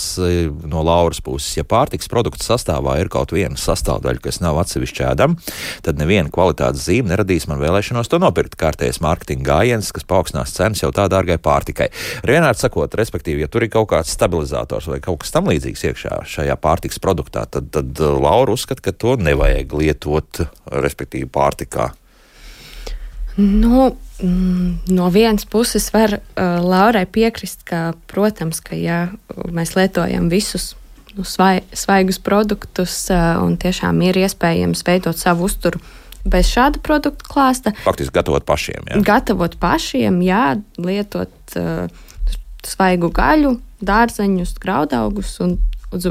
F: no Lauras puses. Ja pārtiks produktu sastāvā ir kaut viena sastāvdaļa, kas nav atsevišķi ēdama, tad neviena kvalitātes zīme neradīs man vēlēšanos to nopirkt. Kārtējs mārketinga gājiens, kas paaugstinās cenas jau tā dārgai pārtikai. Vienmēr sakot, respektīvi, ja tur ir kaut kāds stabilizators vai kaut kas tam līdzīgs iekšā šajā pārtiks produktā, tad Laura uzskata, ka to nevajag lietot, respektīvi, pārtikā.
C: No vienas puses var Laurai piekrist, ka, protams, ka ja mēs lietojam visus svaigus produktus un tiešām ir iespējams veidot savu uzturu bez šāda produktu klāsta.
F: Faktiski gatavot pašiem, jā?
C: Gatavot pašiem, jā, lietot svaigu gaļu, dārzeņus, graudaugus un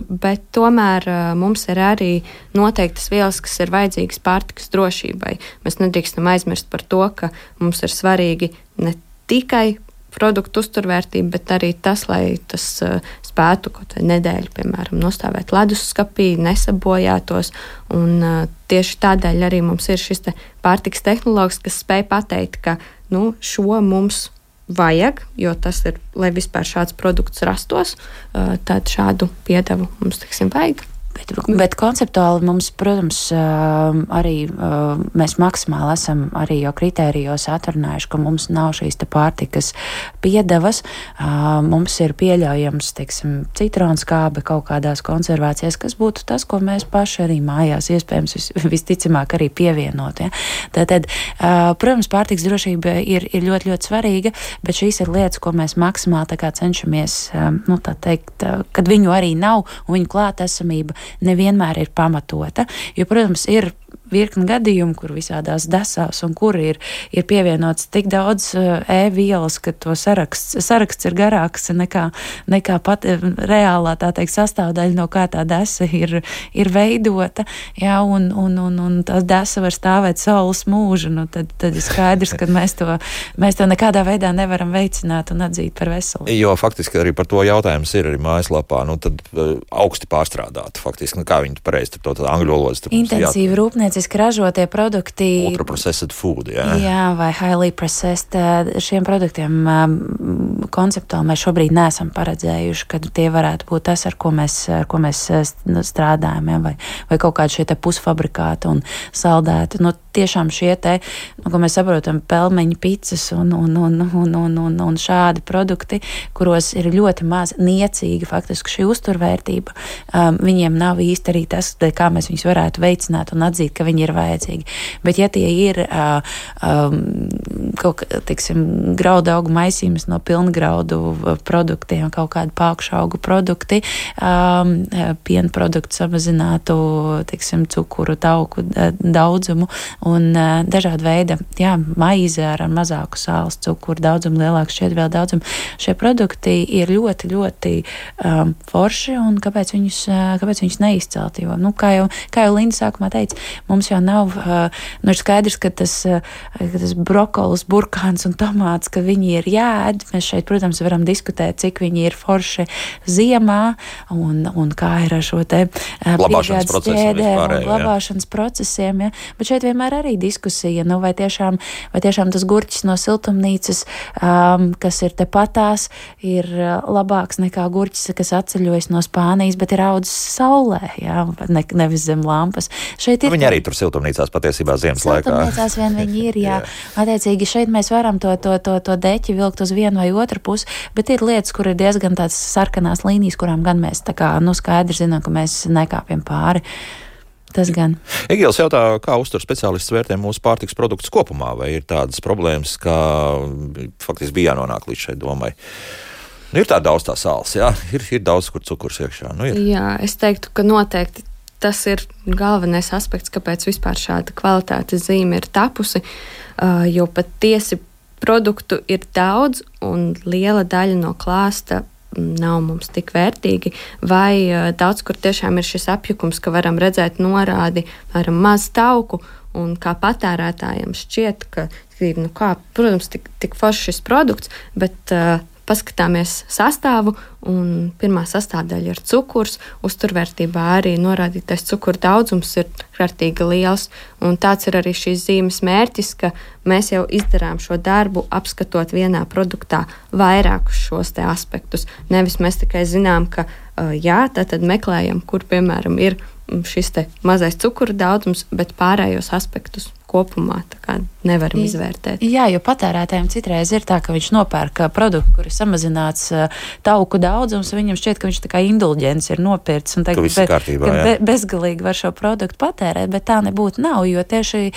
C: bet tomēr mums ir arī noteiktas vielas, kas ir vajadzīgas pārtikas drošībai. Mēs nedrīkstam aizmirst par to, ka mums ir svarīgi ne tikai produktu uzturvērtība, bet arī tas, lai tas spētu kaut vai nedēļu, piemēram, nostāvēt ledusskapī, nesabojātos. Un tieši tādēļ arī mums ir šis pārtikas tehnologs, kas spēj pateikt, ka šo mums vajag, jo tas ir, lai vispār šāds produkts rastos, tad šādu piedevu mums, vajag.
B: Bet konceptuāli mums, protams, arī mēs maksimāli esam arī jau kritērijos atrunājuši, ka mums nav šīs pārtikas piedevas. Mums ir pieļaujams, citronskābe kaut kādās konservācijās, kas būtu tas, ko mēs paši arī mājās iespējams visticamāk arī pievienot. Ja? Tātad, protams, pārtikas drošība ir ļoti, ļoti svarīga, bet šīs ir lietas, ko mēs maksimāli cenšamies, tā teikt, kad viņu arī nav un viņu klātesamība nevienmēr ir pamatota, jo, protams, ir virkni gadījumu, kur visādās desās un kur ir pievienots tik daudz vielas, ka to saraksts ir garāks nekā pat reālā, tā teikt, sastāvdaļa, no kā tā desa ir veidota, jā, un tā desa var stāvēt saules mūžu, tad ir skaidrs, ka mēs to nekādā veidā nevaram veicināt un atzīt par veselību.
F: Jo faktiski arī par to jautājums ir arī mājaslapā, tad augsti pārstrādāt, faktiski, kā viņi pareizi to angļu valodas.
B: Intensīvi rūpnieciski ražotie produkti.
F: Ultra-processed food, jā.
B: Jā, vai highly processed. Šiem produktiem konceptuāli mēs šobrīd neesam paredzējuši, ka tie varētu būt tas, ar ko mēs strādājam, ja, vai kaut kādi šie pusfabrikāti un saldēti. Tiešām šie ko mēs saprotam, pelmeņu picas un šādi produkti, kuros ir ļoti maz niecīga faktiski šī uzturvērtība. Viņiem nav īsti arī tas, kā mēs viņus varētu veicināt un atzīt, ka viņi ir vajadzīgi. Bet ja tie ir graudu augu maisījums no pilngraudu produktiem, kaut kādi pākšaugu produkti, piena produktu samazinātu, cukuru, tauku daudzumu un dažāda veida, maize ar mazāku sāls, cukuru daudzumu, lielāku šķiedrvielu daudzumu. Šie produkti ir ļoti, ļoti forši, un kāpēc viņus neizcelt? Jo, kā jau Linda sākumā teica, mums jau nav, ir skaidrs, ka tas brokolis, burkāns un tomāts, ka viņi ir jāēd. Mēs šeit, protams, varam diskutēt, cik viņi ir forši ziemā un kā ir ar šo
F: glabāšanas
B: ķēdēm un glabāšanas procesiem. Ja? Bet šeit vienmēr arī diskusija, vai tiešām tas gurķis no siltumnīcas, kas ir tepatās, ir labāks nekā gurķis, kas atceļojas no Spānijas, bet ir audzis saulē, nevis zem lampas.
F: Viņi arī tur siltumnīcās patiesībā ziemas laikā.
B: Siltumnīcās vien viņi ir, jā. Attiecīgi šeit mēs varam to deķi vilkt uz vienu vai otru pusi, bet ir lietas, kur ir diezgan tāds sarkanās līnijas, kurām gan mēs skaidri zinām, ka mēs nekāpjam pāri. Tas gan.
F: Egils jautā, kā uzturs speciālists vērtē mūsu pārtikas produktus kopumā, vai ir tādas problēmas, kā faktiski bija jānonāk līdz šai domai? Ir tā daudz tā sāls, jā? Ir daudz, kur cukurs iekšā.
C: Jā, es teiktu, ka noteikti tas ir galvenais aspekts, kāpēc vispār šāda kvalitātes zīme ir tapusi, jo patiesi produktu ir daudz un liela daļa no klāsta nav mums tik vērtīgi, vai daudz kur tiešām ir šis apjukums, ka varam redzēt norādi ar maz tauku, un kā patērētājiem šķiet, ka, protams, tik foršs šis produkts, bet paskatāmies sastāvu, un pirmā sastāvdaļa ir cukurs, uzturvērtībā arī norādītais cukuru daudzums ir kārtīgi liels, un tāds ir arī šīs zīmes mērķis, ka mēs jau izdarām šo darbu, apskatot vienā produktā vairākus šos te aspektus. Nevis mēs tikai zinām, ka tātad meklējam, kur, piemēram, ir šis te mazais cukuru daudzums, bet pārējos aspektus kopumā nevaram izvērtēt.
B: Jā, jo patērētājiem citreiz ir tā, ka viņš nopērk produktu, kur ir samazināts tauku daudzums, un viņam šķiet, ka viņš tā kā indulģents ir nopircis un bezgalīgi var šo produktu patērēt, bet tā nebūtu nav, jo tieši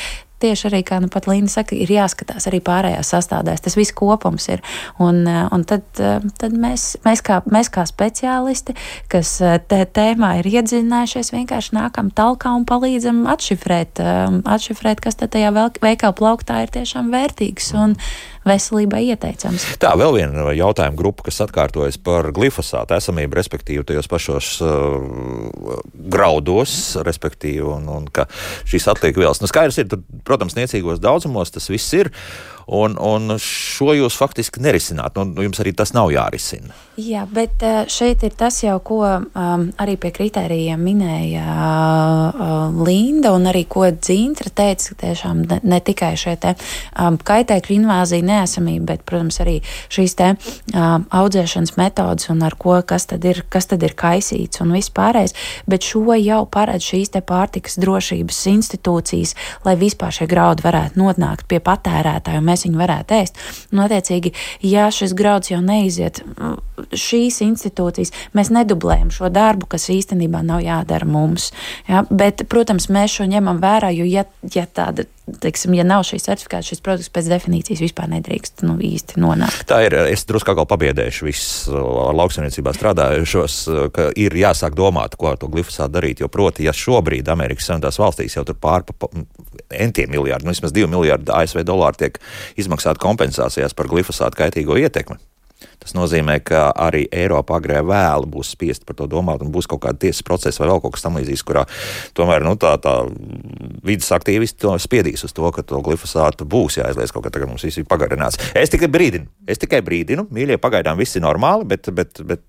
B: arī, kā pat Linda saka, ir jāskatās arī pārējās sastāvdaļas. Tas viss kopums ir. Un tad mēs kā speciālisti, kas tēmā ir iedziļinājušies, vienkārši nākam talkā un palīdzam atšifrēt, kas tad tajā veikala plauktā ir tiešām vērtīgs
A: veselībai ieteicams.
F: Tā, vēl viena jautājuma grupa, kas atkārtojas par glifosātu esamību, respektīvi tajos pašos graudos, respektīvi, un ka šīs atliek vielas. Nu, skaidrs ir, tur, protams, niecīgos daudzumos tas viss ir, un šo jūs faktiski nerisināt. Nu, jums arī tas nav jārisina.
A: Jā, bet šeit ir tas jau, ko arī pie kritērijiem minēja Linda, un arī ko Dzintra teica, ka tiešām ne tikai šie te kaitēkļu invāzija neesamība, bet, protams, arī šīs te audzēšanas metodas un ar ko, kas tad ir kaisīts un viss pārējais, bet šo jau paredz šīs te pārtikas drošības institūcijas, lai vispār šie graudi varētu nonākt pie patērētāju, un mēs viņu varētu ēst. Un, attiecīgi, ja šis grauds jau neiziet šīs institūcijas, mēs nedublējam šo darbu, kas īstenībā nav jādara mums. Ja? Bet, protams, mēs šo ņemam vērā, jo ja tāda, teiksim, ja nav šī certifikāta, šis produkts pēc definīcijas vispār nedrīkst īsti nonākt.
F: Tā ir, es drusku atkal pabiedēšu visus ar lauksaimniecībā strādājušos, ka ir jāsāk domāt, ko ar to glifosātu darīt, jo proti, ja šobrīd Amerikas Savienotās valstīs jau tur entiem miljardi, vismaz 2 miljardi ASV dolāru tiek izmaksāti kompensācijās par glifosātu kaitīgo ietekmi. Tas nozīmē, ka arī Eiropa agrē vēlu būs spiest par to domāt un būs kaut kāda tiesas procesa vai vēl kaut kas tam līdzīgs, kurā tomēr tā vidas aktīvisti to spiedīs uz to, ka to glifosātu būs jāizliedz kaut kā tagad mums viss ir pagarināts. Es tikai brīdinu, mīļie, pagaidām viss ir normāli, bet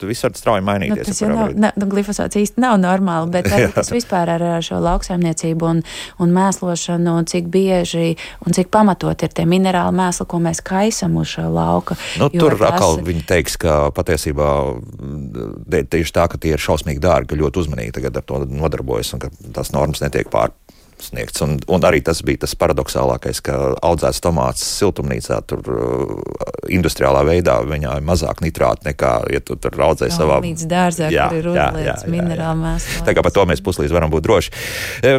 F: viss var strauji mainīties.
A: Tas jau glifosāts īsti nav normāli, bet arī tas vispār ar šo lauksaimniecību un mēslošanu, un cik bieži un cik pamatot ir tie minerāli mēsli, ko mēs kaisam uz šo lauka.
F: Tur atkal viņi teiks, ka patiesībā tieši tā, ka tie ir šausmīgi dārgi, ka ļoti uzmanīgi tagad ar to nodarbojas un ka tās normas netiek pārsniegts. Un arī tas bija tas paradoxālākais, ka audzēts tomāts siltumnīcā tur industriālā veidā viņā ir mazāk nitrāti nekā, ja tu tur audzē savā...
A: Līdz dārzā, kur ir uzliets minerāli mēsli.
F: Tā kā par to mēs puslīdz varam būt droši.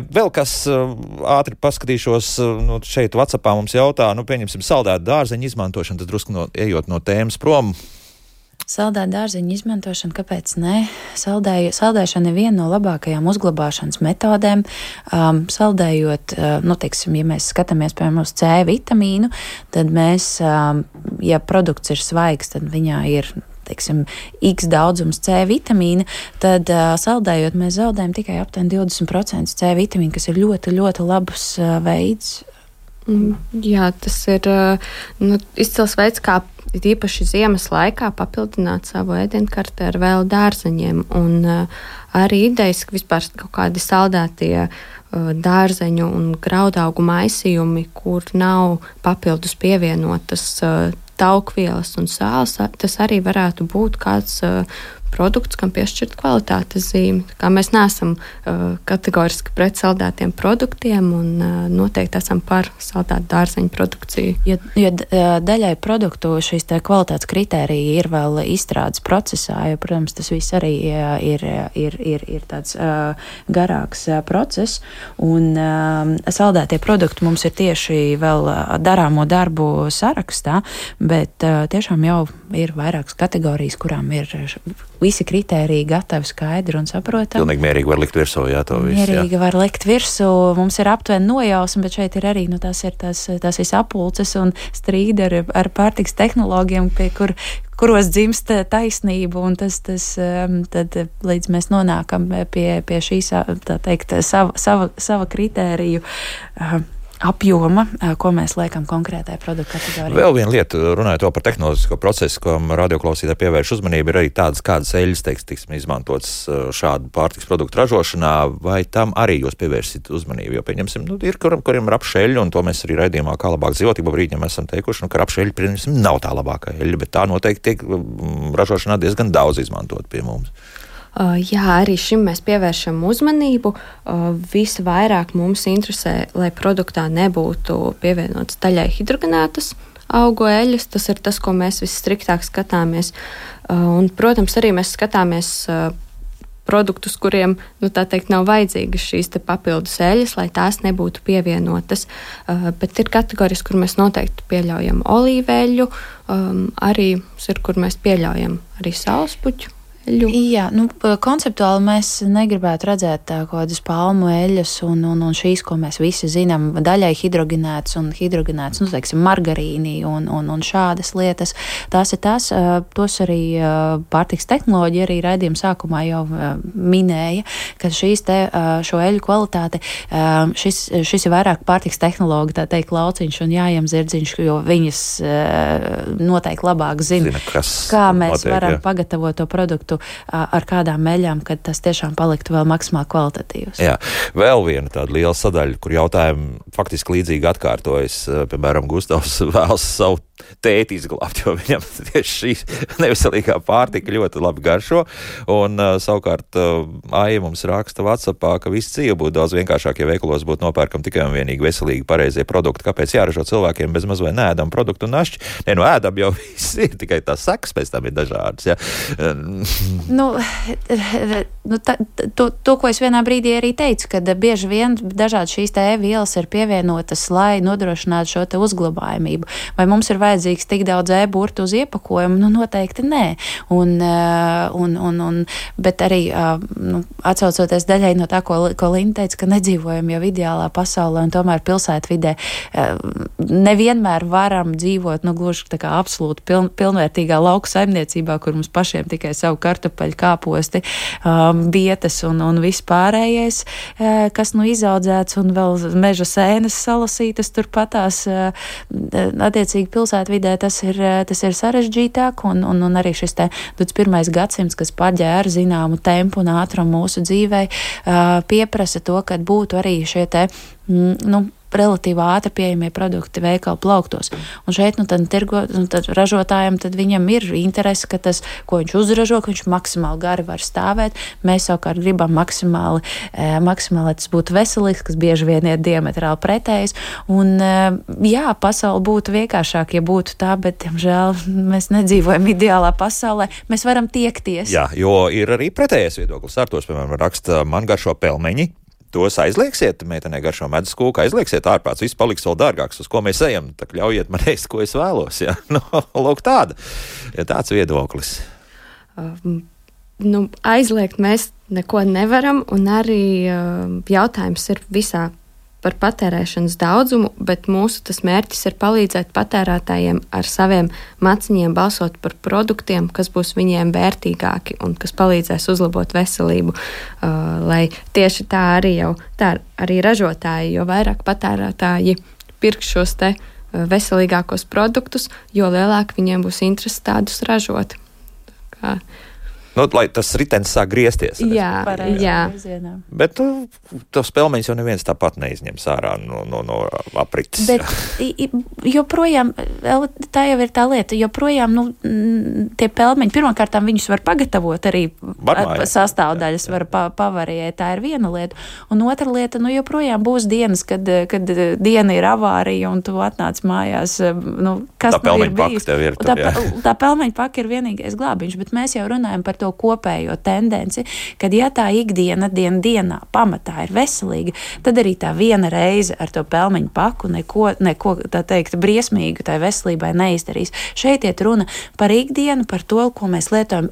F: Vēl kas ātri paskatīšos, šeit WhatsAppā mums jautā, pieņemsim saldētu dārzeņu izmantošanu, tad drusku ejot no tēmas prom.
A: Saldēt dārzeņu izmantošanu, kāpēc ne? Saldēšana ir viena no labākajām uzglabāšanas metodēm. Saldējot, teiksim, ja mēs skatāmies, piemēram, uz C vitamīnu, tad mēs, ja produkts ir svaigs, tad viņā ir, teiksim, X daudzums C vitamīna, tad saldējot mēs zaudējam tikai aptuveni 20% C vitamīnu, kas ir ļoti, ļoti labs veids.
C: Jā, tas ir izcils veids, kā īpaši ziemas laikā papildināt savu ēdienkarti ar vēl dārzeņiem. Un arī idejas, ka vispār kaut kādi saldētie dārzeņu un graudaugu maisījumi, kur nav papildus pievienotas taukvielas un sāls, tas arī varētu būt kāds produkts, kam piešķirt kvalitātes zīmi. Kā mēs neesam kategoriski pret saldētiem produktiem un noteikti esam par saldētu dārzeņu produkciju.
A: Jo daļai produktu šīs kvalitātes kritērija ir vēl izstrādes procesā, jo, protams, tas viss arī ir tāds garāks process, un saldētie produkti mums ir tieši vēl darāmo darbu sarakstā, bet tiešām jau ir vairākas kategorijas, kurām ir visi kritēriji gatavi, skaidri un saprotami.
F: Pilnīgi mierīgi var likt virsū, jā, to visu.
A: Mierīgi var likt virsū. Mums ir aptuveni nojausma, bet šeit ir arī, tās ir sapulces un strīdi ar pārtiks tehnoloģiem, pie kuros dzimst taisnība, un tad līdz mēs nonākam pie šīs, tā teikt, sava kritēriju apjoma, ko mēs liekam konkrētai produktu kategorijai.
F: Vēl viena lieta, runājot par tehnoloģisko procesu, ko radioklausītāji pievērš uzmanību, ir arī kādas eļļas, teiksim, izmantotas šādu pārtiks produktu ražošanā, vai tam arī jūs pievērsit uzmanību, jo, pieņemsim, ir kuriem ir apšeļļa, un to mēs arī raidījumā Kā labāk dzīvot, ik pa brīdim esam teikuši, ka apšeļļa, pieņemsim, nav tā labākā eļļa, bet tā noteikti tiek ražošanā diezgan daudz izmantot pie mums.
C: Jā, arī šim mēs pievēršam uzmanību. Visvairāk mums interesē, lai produktā nebūtu pievienotas daļai hidrogenētas augu eļļas. Tas ir tas, ko mēs visstriktāk skatāmies. Un, protams, arī mēs skatāmies produktus, kuriem, tā teikt, nav vajadzīgas šīs papildus eļļas, lai tās nebūtu pievienotas. Bet ir kategorijas, kur mēs noteikti pieļaujam olīveļu, arī ir, kur mēs pieļaujam arī saulespuķu eļu.
A: Jā, konceptuāli mēs negribētu redzēt kaut kādas palmu eļas un šīs, ko mēs visi zinām, daļai hidrogenētas, teiksim, margarīni un šādas lietas. Tās ir tās, tos arī pārtiks tehnoloģija arī raidījuma sākumā jau minēja, ka šo eļu kvalitāti, šis ir vairāk pārtiks tehnologi, tā teikt, lauciņš un jājam zirdziņš, jo viņas noteikti labāk zina kā mēs varam pagatavot to produktu ar kādām eļām, kad tas tiešām paliktu vēl maksimāli kvalitatīvs.
F: Jā, vēl viena tāda liela sadaļa, kur jautājumi faktiski līdzīgi atkārtojas. Piemēram, Gustavs vēlas savu tēti izglābt, jo viņam tieši šī neveselīgā pārtika ļoti labi garšo. Un savukārt Aija mums raksta WhatsAppā, ka viss dzīve būtu daudz vienkāršāk, ja veikalos būtu nopērkam tikai un vienīgi veselīgi pareizie produkti. Kāpēc jāražo cilvēkiem bez maz vai neēdam produktu un našķi? Ēdam jau viss ir, tikai tās sekas pēc tam ir dažādas. Ja?
A: To, ko es vienā brīdī arī teicu, kad bieži vien dažādi šīs vielas ir pievienotas, lai nodrošinātu šo te uzglabājamību. Vai mums ir vajadzīgs tik daudz burtu uz iepakojumu? Noteikti nē. Bet arī atsaucoties daļai no tā, ko Linda teica, ka nedzīvojam jau ideālā pasaulē un tomēr pilsētvidē nevienmēr varam dzīvot, gluži tā kā absolūti pilnvērtīgā lauku saimniecībā, kur mums pašiem tikai savu kartupeļu, kāposti, bietes un viss pārējais, kas izaudzēts un vēl meža sēnes salasītas turpatās. Attiecīgi pilsētvidē tas ir sarežģītāk un arī šis te 21. gadsimts, kas paģēra zināmu tempu un ātrumu mūsu dzīvei, pieprasa to, ka būtu arī šie te, relatīvi ātri pieejamie produkti veikalu plauktos. Un šeit, tad ražotājiem, tad viņam ir interese, ka tas, ko viņš uzražo, ka viņš maksimāli gari var stāvēt. Mēs savukārt gribam maksimāli, lai tas būtu veselīgs, kas bieži vien ir diametrāli pretējs. Un, jā, pasaule būtu vienkāršāk, ja būtu tā, bet, diemžēl, mēs nedzīvojam ideālā pasaulē. Mēs varam tiekties.
F: Jā, jo ir arī pretējais viedoklis. Arturs, piemēram, raksta, man garšo pelmeņi. Tos aizliegsiet, meitenei garšo medus kūka, aizliegsiet ārprāts, viss paliks vēl dārgāks, uz ko mēs ejam, tā ļaujiet man ēst, ko es vēlos, ja? Lūk tāds viedoklis.
C: Aizliegt mēs neko nevaram, un arī jautājums ir visā par patērēšanas daudzumu, bet mūsu tas mērķis ir palīdzēt patērētājiem ar saviem maciņiem balsot par produktiem, kas būs viņiem vērtīgāki un kas palīdzēs uzlabot veselību, lai tieši tā arī ražotāji, jo vairāk patērētāji pirks šos te veselīgākos produktus, jo lielāk viņiem būs interese tādus ražot.
F: Lai tas ritenis sāk griezties.
C: Jā.
F: Bet tos pelmeņus jau neviens tāpat neizņems ārā no aprites.
A: Bet joprojām, tā jau ir tā lieta, joprojām, tie pelmeņi, pirmkārtām viņus var pagatavot arī sastāvdaļas, var pavariēt, tā ir viena lieta. Un otra lieta, joprojām būs dienas, kad diena ir avārija un tu atnāc mājās, kas tā ir bijis. Tā pelmeņa paka ir vienīgais glābiņš, bet mēs jau runājam par to kopējo tendenci, kad ja tā ikdiena dienā pamatā ir veselīga, tad arī tā viena reize ar to pelmeņu paku neko tā teikt briesmīgu tai veselībai neizdarīs. Šeit iet runa par ikdienu, par to, ko mēs lietojam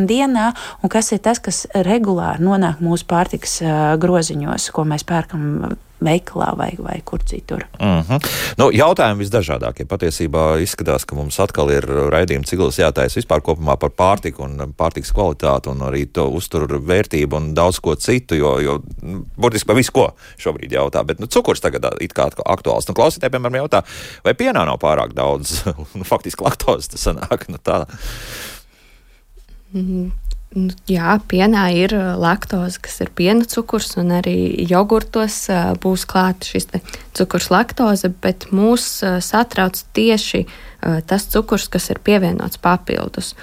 A: dienā, un kas ir tas, kas regulāri nonāk mūsu pārtikas groziņos, ko mēs pērkam veikalā vai kur citur.
F: Jautājumi visdažādākie. Patiesībā izskatās, ka mums atkal ir raidījuma cikls jātaisa vispār kopumā par pārtiku un pārtikas kvalitāti un arī to uzturu vērtību un daudz ko citu, jo burtiski par visu ko šobrīd jautā, bet cukurs tagad it kā aktuāls. Klausītāji, piemēram, jautā, vai pienā nav pārāk daudz, faktiski laktozes tas sanāk, tā.
C: Jā, pienā ir laktoze, kas ir piena cukurs, un arī jogurtos būs klāta šis cukurs laktoze, bet mūs satrauc tieši tas cukurs, kas ir pievienots papildus.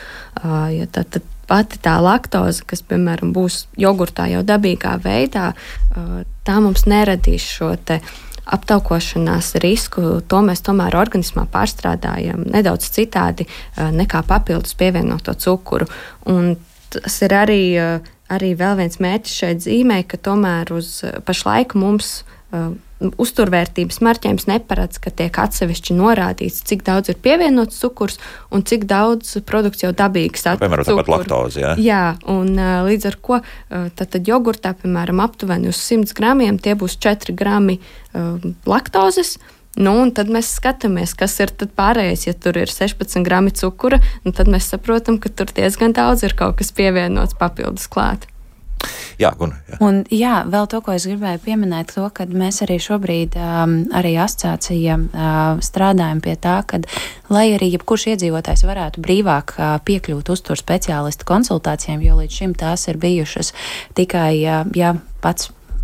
C: Ja tad pati tā laktoze, kas, piemēram, būs jogurtā jau dabīgā veidā, tā mums neradīs šo te aptaukošanās risku, to mēs tomēr organismā pārstrādājam nedaudz citādi nekā papildus pievienoto cukuru. Un tas ir arī vēl viens mērķis šeit zīmē, ka tomēr uz pašlaik mums uzturvērtības marķējums neparedz, ka tiek atsevišķi norādīts, cik daudz ir pievienots cukurs un cik daudz produkts jau dabīgi satur
F: piemēram,
C: cukuru.
F: Piemēram, tāpat laktozi, jā?
C: Jā, un līdz ar ko tad jogurtā, piemēram, aptuveni uz 100 gramiem tie būs 4 grami laktozes. Un tad mēs skatāmies, kas ir tad pārējais. Ja tur ir 16 grami cukura, tad mēs saprotam, ka tur diezgan daudz ir kaut kas pievienots papildus klāt.
F: Jā, Guna. Jā.
B: Un vēl to, ko es gribēju pieminēt, to, ka mēs arī šobrīd arī asociācija strādājam pie tā, ka, lai arī jebkurš iedzīvotājs varētu brīvāk piekļūt uzturu speciālistu konsultācijām, jo līdz šim tās ir bijušas tikai,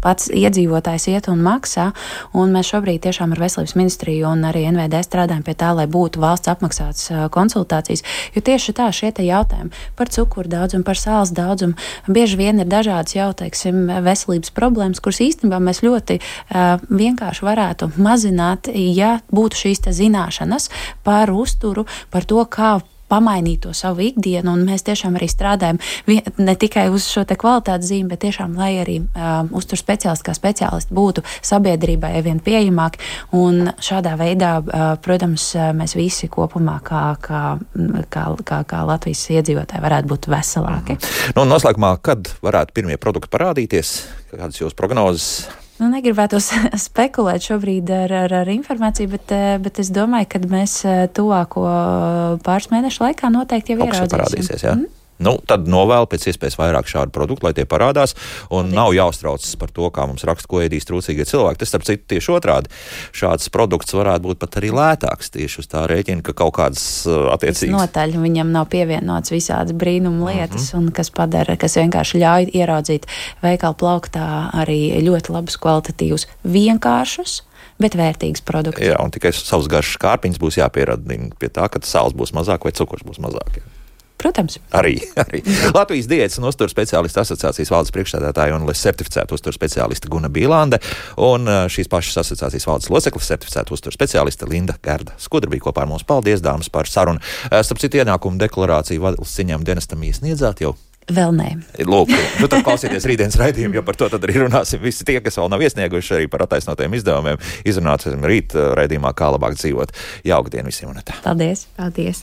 B: pats iedzīvotājs iet un maksā, un mēs šobrīd tiešām ar Veselības ministriju un arī NVD strādājam pie tā, lai būtu valsts apmaksātas konsultācijas, jo tieši tā šie te jautājumi par cukuru daudzumu, par sāls daudzumu, bieži vien ir dažādas jau, teiksim, veselības problēmas, kuras īstenībā mēs ļoti vienkārši varētu mazināt, ja būtu šīs te zināšanas par uzturu, par to, kā pamainīt to savu ikdienu, un mēs tiešām arī strādājam ne tikai uz šo te kvalitātes zīmi, bet tiešām, lai arī uzturu speciālisti kā speciālisti būtu sabiedrībai vien pieejamāki, un šādā veidā, protams, mēs visi kopumā kā Latvijas iedzīvotāji varētu būt veselāki.
F: Nu, noslēgumā, kad varētu pirmie produkti parādīties? Kādas jūsu prognozes?
B: Negribētu spekulēt šobrīd ar informāciju, bet es domāju, ka mēs tuvāko pāris mēnešu laikā noteikti jau ieraudzīsim.
F: Parādīsies, jā? Nu, tad novēl pēc iespējas vairāk šādu produktu, lai tie parādās, un nav jāuztraucas par to, kā mums raksta, ko ēdīs trūcīgie cilvēki. Tas, starp citu, tieši otrādi. Šāds produkts varētu būt pat arī lētāks tieši uz tā rēķina, ka kaut kādas attiecīgas.
B: Notaļ viņam nav pievienots visādas brīnuma lietas, un kas vienkārši ļauj ieraudzīt veikalu plauktā arī ļoti labus, kvalitatīvus, vienkāršus, bet vērtīgs produkts.
F: Jā, un tikai savs garšas kārpiņas būs jāpieradina pie tā, ka sāls būs mazāk vai cukurs būs mazāk. Jā.
B: Protams.
F: Arī. Latvijas diētas un uzturu speciālistu asociācijas valdes priekšsēdētāja un certificēta uzturu speciāliste Guna Bīlande un šīs pašas asociācijas valdes loceklis certificēta uzturu speciāliste Linda Gerda Skudra bija kopā ar mums. Paldies, dāmas, par sarunu. Starp citu, ienākumu deklarāciju valsts ciņām dienestam iesniedzāt jau?
B: Vēl nē.
F: Lūk, tad klausieties rītdienas raidījumu, jo par to tad arī runāsim. Visi tie, kas vēl nav iesnieguši arī par attaisnotiem izdevumiem, izrunāsim rīt raidījumā, kā labāk dzīvot. Jauka diena visiem un tā.
B: Paldies.
C: Paldies.